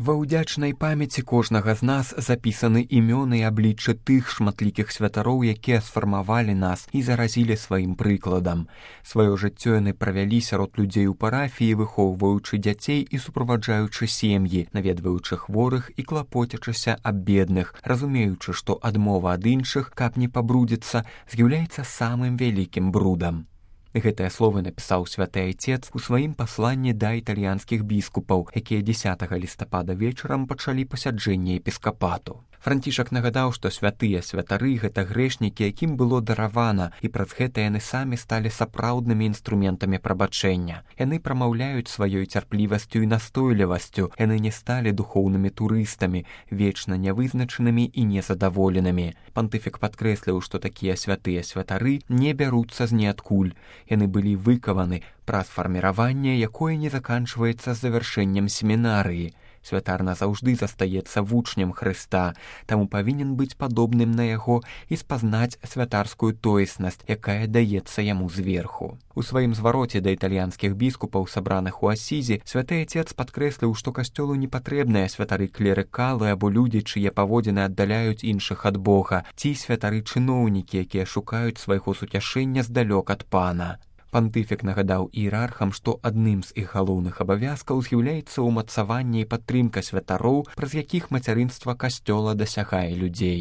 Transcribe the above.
Ва ўдзячнай памяці кожнага з нас запісаны імёны і абліччы тых шматлікіх святароў, якія сфармавалі нас і заразілі сваім прыкладам. Сваё жыццё яны правялі сярод людзей у парафіі, выхоўваючы дзяцей і суправаджаючы сем'і, наведваючы хворых і клапоцячыся аб бедных, разумеючы, што адмова ад іншых, каб не пабрудзіцца, з'яўляецца самым вялікім брудам. Гэтыя словы напісаў святы айцец у сваім пасланні да італьянскіх біскупаў, якія 10 лістапада вечарам пачалі пасяджэнне епіскапату. Францішак нагадаў, што святыя святары – гэта грэшнікі, якім было даравана, і праз гэта яны самі сталі сапраўднымі інструментамі прабачэння. Яны прамаўляюць сваёй цярплівасцю і настойлівасцю, яны не сталі духоўнымі турыстамі, вечна нявызначанымі і незадаволенымі. Пантыфік падкрэсліў, што такія святыя святары не бяруцца з ніадкуль. Яны былі выкаваны праз фарміраванне, якое не заканчваецца завяршэннем семінарыі. Святар назаўжды застаецца вучнем Хрыста, таму павінен быць падобным на яго і спазнаць святарскую тоеснасць, якая даецца яму зверху. У сваім звароце да італьянскіх біскупаў, сабраных у Асізі, святы айцец падкрэсліў, што касцёлу не патрэбныя святары-клерыкалы або людзі, чые паводзіны аддаляюць іншых ад Бога, ці святары-чыноўнікі, якія шукаюць свайго суцяшэння здалёк ад Пана. Пантыфік нагадаў іерархам, што адным з іх галоўных абавязкаў з'яўляецца ўмацаванне і падтрымка святароў, праз якіх мацярынства касцёла дасягае людзей.